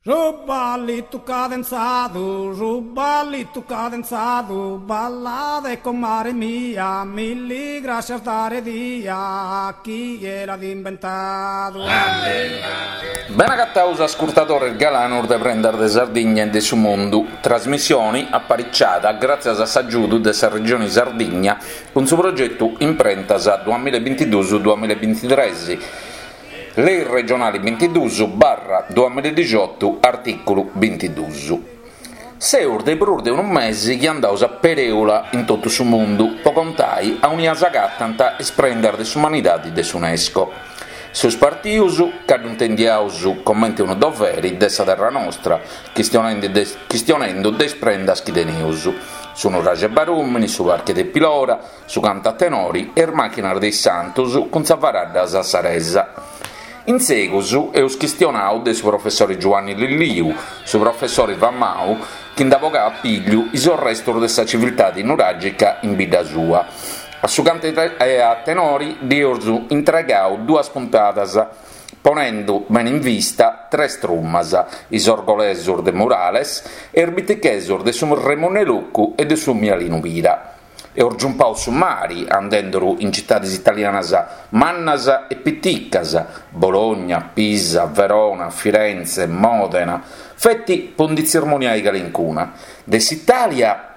Su ballitu cadenzadu, su ballitu cadenzadu, ballade comare mia, milli grascias dare dia, chie l'at imbentadu. Bene agataus ascurtadores galanos de Prendas de Sardigna e de su Mundu, trasmissioni apariciada gràtzias a s'agiudu de sa Regioni Sardigna cun su progetu Imprentas duamilla e bintiduus duamilla e bintitres, Lei regionali bintiduus barra duamilla e dixiotu artìculu bintiduus. Seus de prus de unu mesi chi andaus a perèula in totu su mundu po contai aunia s'agatant is prendas de s'umanidadi de s'UNESCO. Seus partius ca ddu intendiaus comente unu doveri de sa terra nostra, chistionendu de is prendas chi teneus, su nuraxi 'e Barùmini, su parchi de Pilora, su cantu a tenori e is màchinas de is santus cun sa faradda sassaresa. In segus eus chistionau de su professori Giuanni Lilliu, su professori famau chi nd'at bogau a pigliu is orrestus de sa civiltadi nuràgica in bidda sua. A su cantu a tenori ddi eus intregau duas puntadas, ponendu bene in vista tres trumas, is orgolesus de Murales e is bitichesus de su Remunnu 'e Lucu e de su Mialinu Pira. Eus giumpau su mari andenduru in citadis italianas mannas e piticas, Bologna, Pisa, Verona, Firenze, Modena, feti po ndi tzirmoniai calincuna. De s'Italia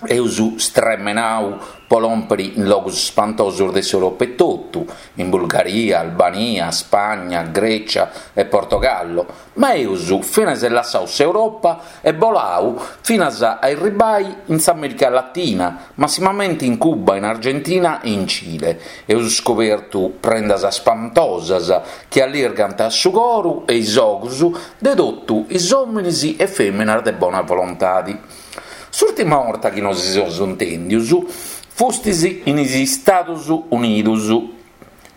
eus stremenau po lòmpiri in logus spantosus de s'Europa etotu, in Bulgaria, Albania, Spagna, Grecia e Portogallo, Ma eus finas lassau s'Europa e bolau finas a erribai in s'America Latina, massimamenti in Cuba, in Argentina e in Cile. Eus scobertu prendas spantosas chi allirgant su coru e is ogus de totu is ominis e feminas de bona volontadi. S'urtima 'orta chi nosi seus intendius fustis in is Istadus Unidus.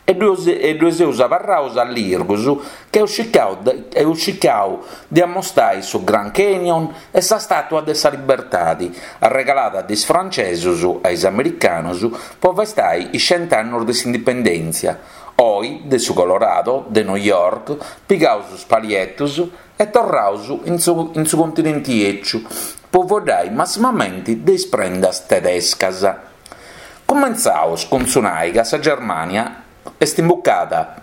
E ddoi seus abarraus allirgus ca eus circau eus circau de ammostai su Grand Canyon e sa Stàtua de sa Libertadi, arregalada de is francesus a is americanus po festai is cent'annus de s'indipendèntzia. Oi, de su Colorado, de New York, pigaus is palietus e torraus in su in su continenti 'eciu po fueddai massimamenti de is prendas tedescas. Cumentzaus cun su nai ca sa Germània est imbucada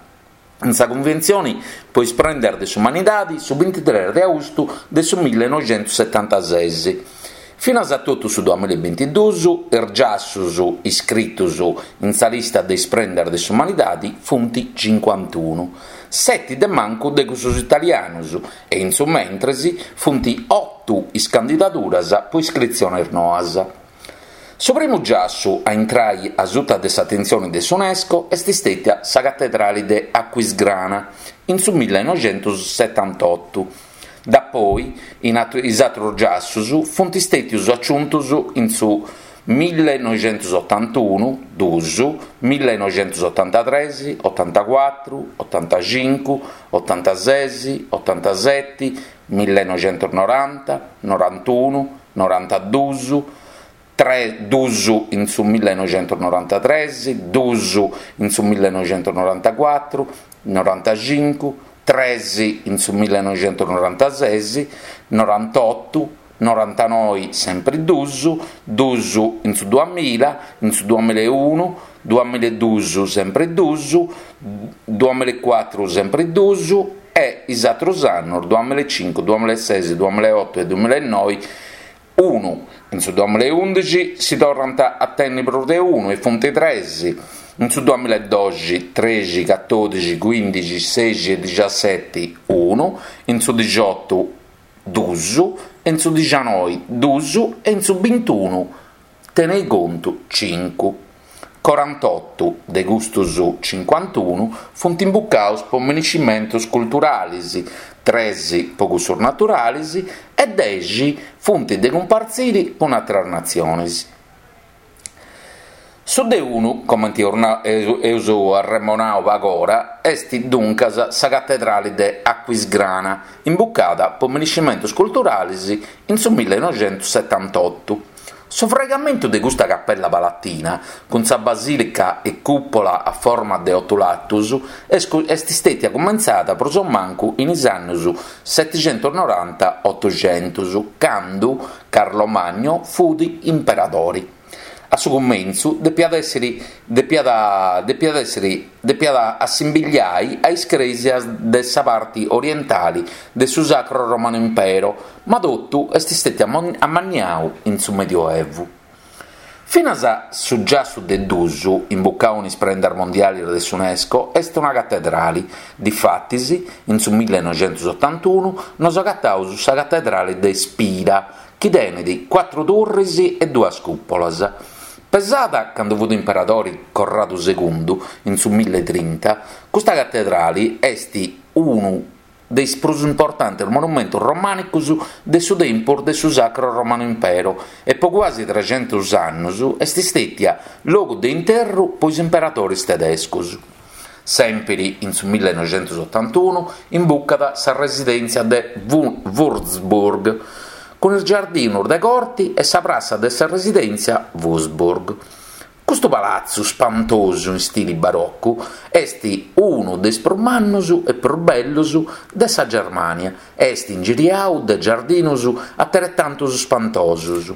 in sa Cunventzioni po is prendas de s'umanidadi su bintitres de austu de su millenoixentussetantases. Finas a totu su duamillabintiduus is giassus iscritus in sa lista de is prendas de s'umanidadi funt cincuantunu, seti de mancu de cussus italianus e in su mentres funt otu is candidaduras po iscritziones noas. Su primu giassu a intrai a suta de s'atentzioni de s'UNESCO est stètia sa catedrali de Aquisgrana in su millenoixentussetantotu. Dapoi is atrus giassus funt stètius aciuntus in su millenoixentusotantunu, dus, millenoixentusotantatres, otantacuatru, otantacincu, otantases, otantaseti, millenoixentusnoranta, norantunu, Norantadus, tres, dus in su millenoixentusnorantatres, dus in su millenoixentusnorantacuatru, norantacincu, tres in su millenoixentusnorantases, norantotu, norantanoi sempri dus, dus in su duamilla, in su duamillaeunu, duamillaedus sempri dus, duamillaecuatru sempri dus, e is atrus annus, duamillaecincu, duamillaeses, duamillaeotu e duamillaenoi, unu, in su duamillaeundixi si torrant a tenni prus de unu e funt tres, in su duamillaedoxi, trexi, catodixi, cuindixi, sexi e dixaseti, unu, in su dixiotu, dus, in su dixanoi, dus e in su bintunu, Tenei contu, cincu. Corantotu de custus cincuantunu funt imbucaus po miniscimentus culturalis, tres po cussus naturalis e dexi funt de cumpartziri cun atras natzionis. Su de unu, comenti eus arremonau pagora, est duncas sa catedrali de Aquisgrana, imbucada po miniscimentus culturalis in su millenoixentussetantotu. Su fraigamentu de custa capella palatina, cun sa basìlica e cùpola a forma de otu latus, est stètia cumentzada prus o mancu in is annus setixentusnoranta-otuxentus, candu Carlo Magno fut imperadori. A su cumentzu depiat èssiri depiat depiat èssiri depiat assimbigliai a is crèsias de sa parti orientali de su Sacro Romano Impero, ma totu est stètiu ammanniau in su Medioevu. Finas su giassu de dus, imbucau in is prendas mondialis de s'Unesco, est una catedrali. Difatis, in su millenoixentusotantunu nos agataus sa catedrali de Spira, chi tenet cuatru turris e duas cùpolas. Pesada cando fut imperadori Corradu segundu, in su milletrinta, custa catedrali est unu de is prus importantes monumentos romànicos de su tempus de su Sacro Romano Impero e po cuasi trexentus annos est istètia logu de interru po is imperadores tedescos. Sèmpiri in su millenoixentusotantunu imbucat sa residèntzia de Würzburg, cun is giardinus de corti e sa prassa de sa residèntzia Würzburg. Custu palatzu spantosu in stili barocu est unu de is prus mannus e prus bellus de sa Germània e est ingiriau de giardinus ateretantus spantosus.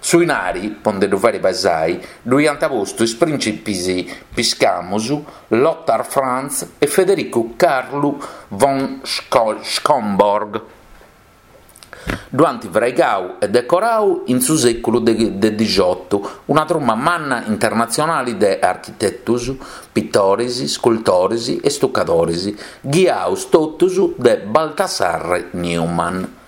Su 'inari, po nde ddu fàiri pesai, ddu iant postu is prìncipis piscamus Lothar Franz e Federicu Carlu von Schomburg. Ddu ant fraigau e decorau in su sèculu de dixiotu una truma manna internatzionali de architetus, pitoris, scultoris e stucadoris, ghiaus totus de Baltassarre Neumann.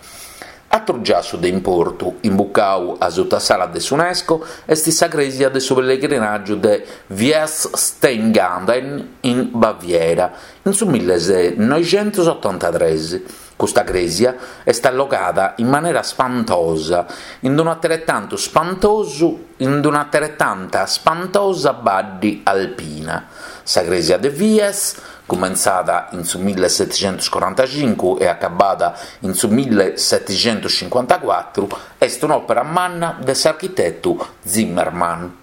Atru giassu de importu, imbucau asuta s'ala de s'Unesco, est sa crèsia de su pellegrinàgiu de Weeß-Steingaden in Baviera, in su millenoixentusotantatres. Custa crèsia est allogada in manera spantosa in un'ateretantu spantosu in un'ateretanta spantosa baddi alpina. Sa crèsia de Wies Cumentzada in su milleseticentuscorantacincu e acabada in su milleseticentuscincuantacuatru, est un'òpera manna de s'architetu Zimmermann.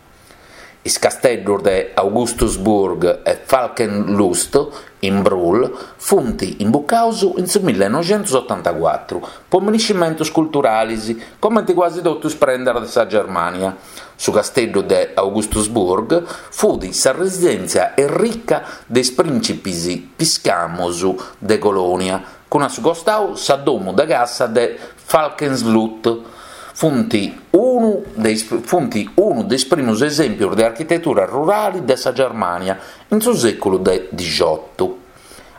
Is casteddos de Augustusburg e Falkenlust in Brühl funt imbucados in su millenoixentusotantacuatru po miniscimentos culturales, comente cuasi totu is prendas de sa Germània. Su casteddu de Augustusburg fut sa residèntzia errica de is prìncipis piscamos de Colònia, cun a su costau sa domu de cassa de Falkenslut. Funt unu de is funt unu de is primus esèmpios de architetura rurale de sa Germània in su sèculu de dixiotu.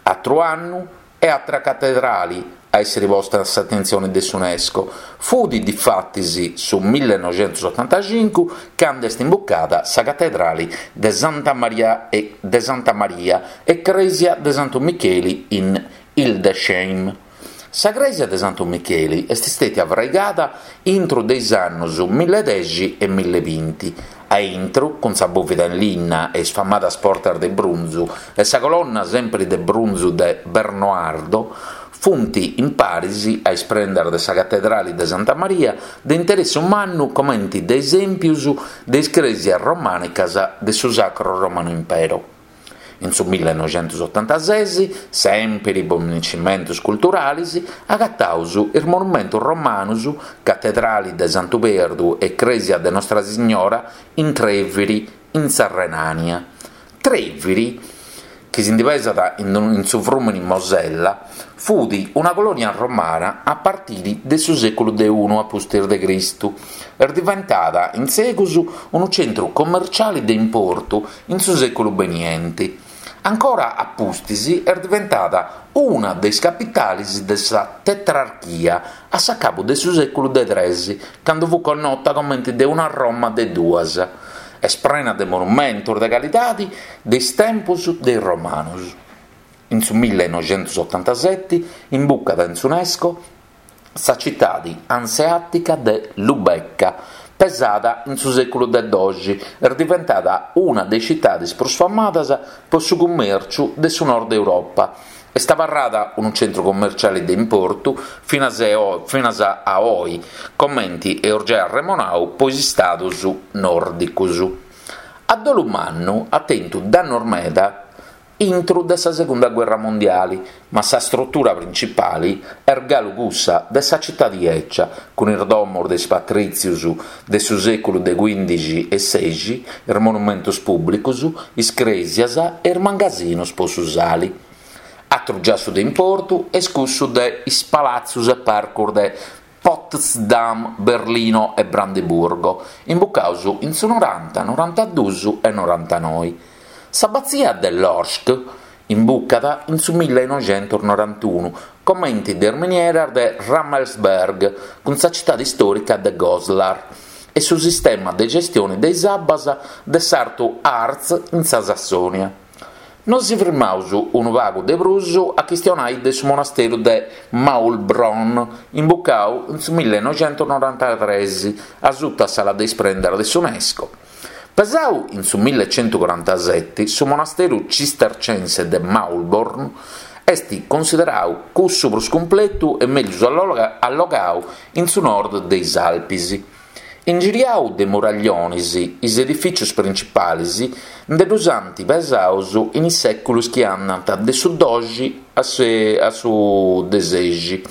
Atru annu e atra catedrali a èssiri posta a s'atentzioni de s'Unesco, fut difatis su millenoixentusotantacincu candu est imbucada sa catedrali de Santa Maria e de Santa Maria e crèsia de Santu Micheli in Hildesheim. Sa crèsia de Santu Micheli est stètia fraigada intru de is annus milledexi e millebinti, A intru, cun sa bòvida in linna e is famadas portas de brunzu e sa colonna sempri de brunzu de Bernoardo, funt in paris a is prendas de sa Catedrali de Santa Maria de interessu mannu comenti de esèmpius de is crèsias romànicas de su Sacro Romano Impero. In su millenoixentusotantases, sèmpiri po miniscimentus culturalis, agataus is monumentus romanus Catedrali de Santu Perdu e Crèsia de Nostra Signora in Trèviri, in sa Renània. Trèviri, chi si ndi pesat in su frùmini Mosella, fut una colònia romana a partiri de su sèculu de unu a pustis de Cristu. Est diventada in segus unu centru commerciali de importu in su sèculu benienti. Ancora a pustis est diventada una de is capitales de sa Tetrarchia a s'acabu de su sèculu de tres, cando fut connota comente de una Roma de duas. Est prena de monumentos de calidade de is tempos de is Romanos. In su millenoixentusotantaseti imbucat in s'Unesco Sa citadi anseàtica de Lubecca, pesada in su sèculu de doxi, est diventada una de is citadis prus famadas po su cummèrciu de su nord Europa. Est abarrada unu centru commerciali de importu finas finas a oi, comenti eus giai arremonau po is istadus nòrdicus. A dolu mannu at tentu dannus meda intru de sa segunda guerra mondiali, ma sa strutura principali est galu cussa de sa citadi 'ecia, cun is domos de is patrìtzius de su sèculu de cuìndixi e sexi, is monumentus pùblicus, is crèsias e is mangasinus po su sali. Atru giassu de importu est cussu de is palatzus e parcus de Potsdam, Berlino e Brandeburgo, imbucaus in su noranta, norantadus e norantanoi. S'abatzia de Lorsch imbucat in su millenoixentusnorantunu, comenti de is minieras de Rammelsberg cun sa citadi istòrica de Goslar e su sistema de gestioni de is abbas de s'Artu Harz in sa Sassònia. Nosi firmaus unu pagu de prus a chistionai de su monasteru de Maulbronn, imbucau in su millenoixentusnorantatres asuta s'ala de is prendas de s'Unesco. Pesau in su millecentucorantaseti, su monasteru cistercense de Maulbronn est cunsiderau cussu prus cumpletu e mellus allogau in su nord de is Alpis. Ingiriau de muraglionis, is edifìcius principalis nde ddus ant pesaus in is sèculus chi andant de su doxi a su desexi.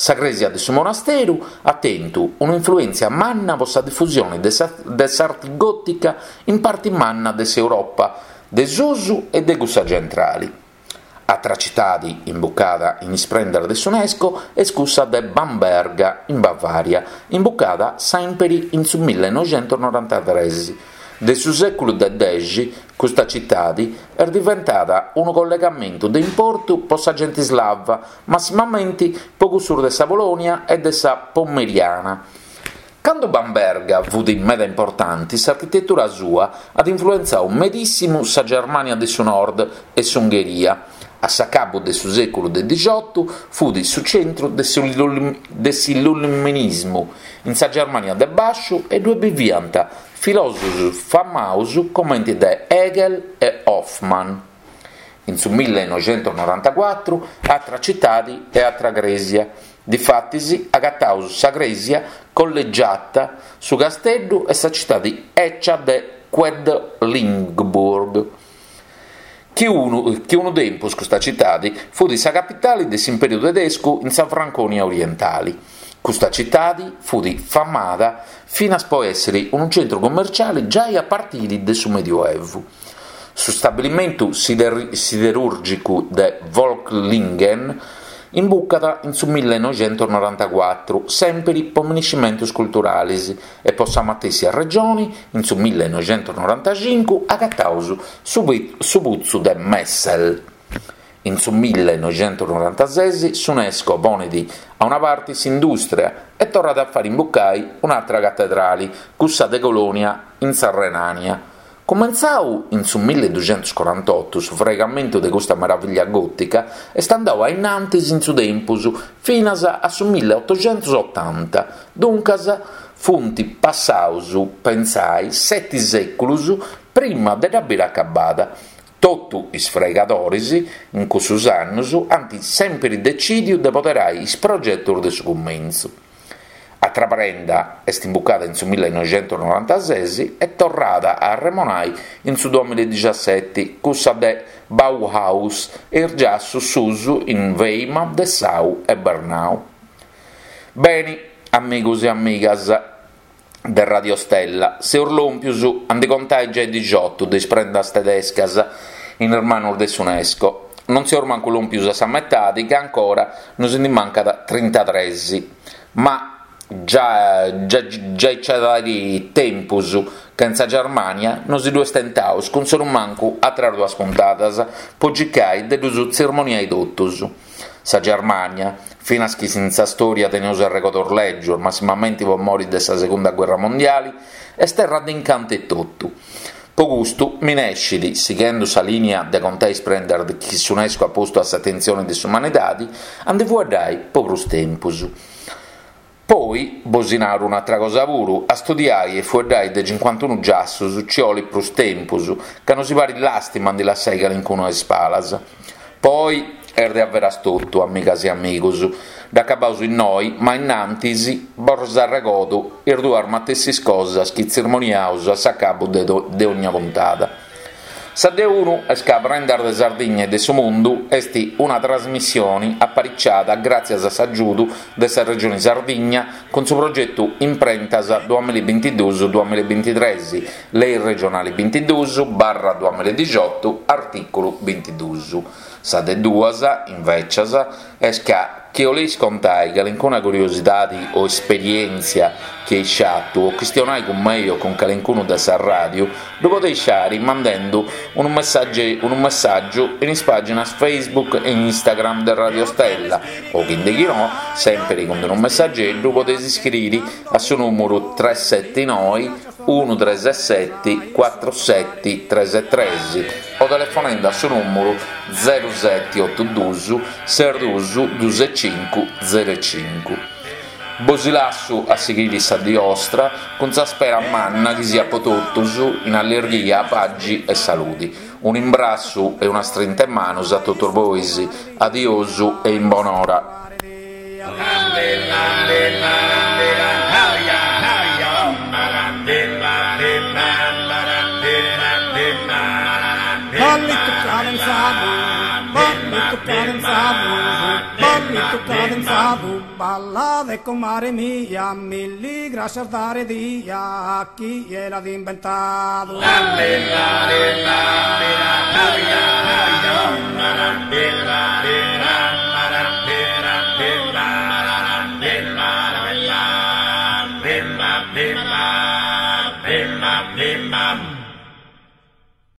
Sa crèsia de su monasteru at tentu un'influèntzia manna po sa difusioni de s'arti gòtica in parti manna de s'Europa de susu e de cussa centrali. Atra citadi imbucada in is prendas de s'Unesco est cussa de Bamberga in Bavaria, imbucada sèmpiri in su millenoixentusnorantatres. De su sèculu de dexi custa citadi est diventada unu collegamentu de importu po sa genti slava, massimamenti po cussus de sa Polònia e de sa Pomeriana. Cando Bamberga fut meda importanti, s'architetura sua at influentzau medissimu sa Germània de su Nord e s'Ungheria. A s'acabu de su sèculu de dixiotu fut su centru de s'illuminismu in sa Germània de Bàsciu e ddue biviant filòsofus famaus comenti de Hegel e Hoffmann. In su millenoixentusnorantacuatru atra citadi e atra crèsia. Difatis agataus sa crèsia collegiata, su casteddu e sa citadi 'ecia de Quedlinburg, chi unu chi unu tempus custa citadi fut sa capitali de s'imperiu tedescu in sa Franconia orientali. Custa citadi fut famada finas po èssiri unu centru commerciali giai a partiri de su Medioevu. Su stabilimentu siderùrgicu de Völklingen imbucat in su millenoixentusnorantacuatru, sèmpiri po miniscimentus culturalis, e po sa matessi arregioni in su millenoixentusnorantacincu agataus su putzu de Messel. In su millenoixentusnorantases s'Unesco ponit a una parti s'indùstria e torrat a fari imbucai un'atra catedrali, cussa de Colonia in sa Renània. Cumentzau in su milleduxentuscorantotu su fraigamentu de custa meravìllia gòtica est andau a innantis in su tempus finas a su milleotoxentusotanta, duncas funt passaus, pentzai, seti sèculus prima de dda biri acabada. Totu is fraigadoris in cussus annus ant sèmpiri decìdiu de poderai is progetus de su cumentzu. Atra prenda est imbucada in su millenoixentusnorantases e torrada a arremonai in su duamilla e cussa de Bauhaus e is giassus suus in Weimar, Dessau e Bernau. Beni, amigus e amigas de Radio Stella, seus lòmpius a ndi contai giai dixiotu de is prendas tedescas in is manus de s'Unesco. Non seus mancu lòmpius a sa metadi ca ancora nos ndi mancat trintatres. Ma giai giai nci at airi tempus ca in sa Germania nosi ddue stentaus cun sonumancu atras duas puntadas po circai de ddus tzirmoniai totus. Sa Germania, finas chi in sa storia teneus arregodus lègius, massimamenti po mori de sa segunda guerra mondiali, est terra de incantu etotu. Po custu minescit, sighendu sa lìnia de contai is prendas chi s'Unesco at postu a s'atentzioni de s'umanidadi, a ndi fueddai po prus tempus. Poi, bosi naru un'atra cosa puru, a studiai e fueddai de cincuantunu giassus ci 'olit prus tempus, ca nosi parit làstima a ndi lassai calincunu a is palas. Poi. Est de averas totu, amigas e amigus. Dd'acabaus innoi, ma innantis bos arregodu is duas matessis cosas chi tzirmoniaus a s'acabu de ogna puntada. Sa de unu est ca Prendas de Sardigna e de su Mundu est una trasmissioni apariciada gràtzias a s'agiudu de sa Regioni Sardigna cun su progetu Imprentas duamillabintiduus duamillabintitres, Lei regionali bintiduus barra duamilladixotu, artìculu bintiduus. Sa de duas, invècias, est ca chi 'oleis contai calincuna curiosidadi o esperièntzia chi eis fatu o chistionai cun mei o cun calincunu de sa ràdiu, ddu podeis fari mandendu unu messàgiu in is pàginas Facebook e Instagram de Radio Stella o chi nde chi no, sèmpiri cun unu messageddu podeis iscriri a su nùmuru tres seti noi unu tres seti cuatru seti tres tres o telefonendu a su nùmuru zeru seti otu dus ses dus dus e cincu zeru e cincu. Bosi lassu a sighiri sa dì 'ostra cun sa spera manna chi siat po totus in allirghia, paxi e saludi. Un'imbrassu e una strinta 'e manus a totus bois. Adiosu e in bonora. Ballitu cadenzadu, ballitu cadenzadu, ballitu cadenzadu, ballade comare mia, milli grascias dare dia a chie l'at imbentadu.